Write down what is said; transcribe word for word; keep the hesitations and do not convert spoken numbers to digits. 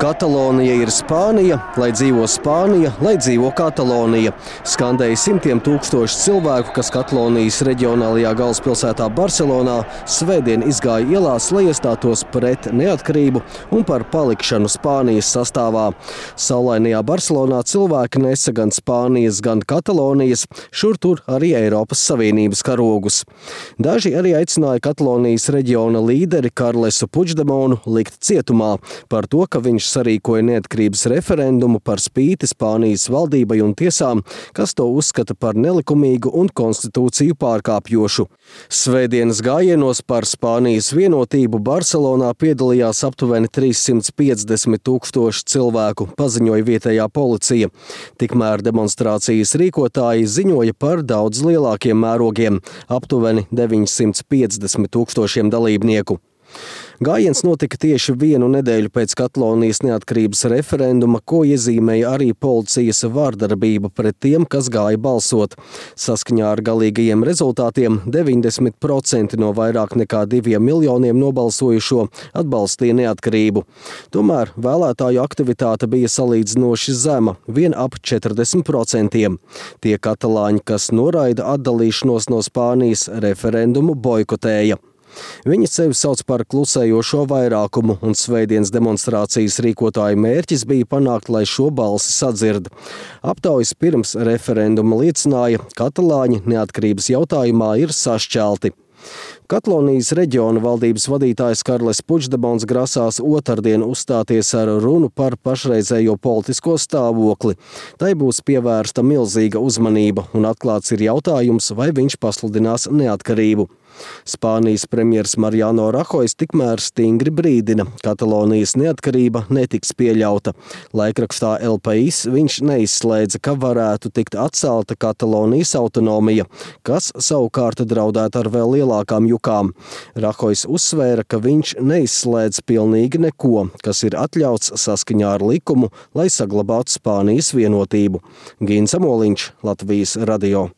Katalonija ir Spānija, lai dzīvo Spānija, lai dzīvo Katalonija. Skandēja simtiem tūkstoši cilvēku, kas Katalonijas reģionālajā galvaspilsētā Barcelonā svētdien izgāja ielās, lai iestātos pret neatkarību un par palikšanu Spānijas sastāvā. Saulainajā Barcelonā cilvēki nesa gan Spānijas, gan Katalonijas, šur tur arī Eiropas Savienības karogus. Daži arī aicināja Katalonijas reģiona līderi Karlesu Puigdemonu likt cietumā par to, ka viņš sarīkoja neatkarības referendumu par spīti Spānijas valdībai un tiesām, kas to uzskata par nelikumīgu un konstitūciju pārkāpjošu. Svētdienas gājienos par Spānijas vienotību Barcelonā piedalījās aptuveni trīssimts piecdesmit tūkstoši cilvēku, paziņoja vietējā policija. Tikmēr demonstrācijas rīkotāji ziņoja par daudz lielākiem mērogiem – aptuveni deviņsimt piecdesmit tūkstošiem dalībnieku. Gājiens notika tieši vienu nedēļu pēc Katalonijas neatkarības referenduma, ko iezīmēja arī policijas vārdarbība pret tiem, kas gāja balsot. Saskaņā ar galīgajiem rezultātiem deviņdesmit procenti no vairāk nekā diviem miljoniem nobalsojušo atbalstīja neatkarību. Tomēr vēlētāju aktivitāte bija salīdzinoši zema, vien ap četrdesmit procentiem. Tie katalāņi, kas noraida atdalīšanos no Spānijas, referendumu boikotēja. Viņi sevi sauc par klusējošo vairākumu, un svētdienas demonstrācijas rīkotāju mērķis bija panākt, lai šo balsi sadzird. Aptaujas pirms referenduma liecināja, katalāņi neatkarības jautājumā ir sašķelti. Katalonijas reģiona valdības vadītājs Karles Puigdemons grasās otrdien uzstāties ar runu par pašreizējo politisko stāvokli. Tai būs pievērsta milzīga uzmanība, un atklāts ir jautājums, vai viņš pasludinās neatkarību. Spānijas premjers Mariano Rajoy tikmēr stingri brīdina, Katalonijas neatkarība netiks pieļauta. Laikrakstā El País viņš neizslēdza, ka varētu tikt atcelta Katalonijas autonomija, kas savukārt draudētu ar vēl lielākām jukām. Rajoy uzsvēra, ka viņš neizslēdz pilnīgi neko, kas ir atļauts saskaņā ar likumu, lai saglabātu Spānijas vienotību. Gins Amoliņš, Latvijas radio.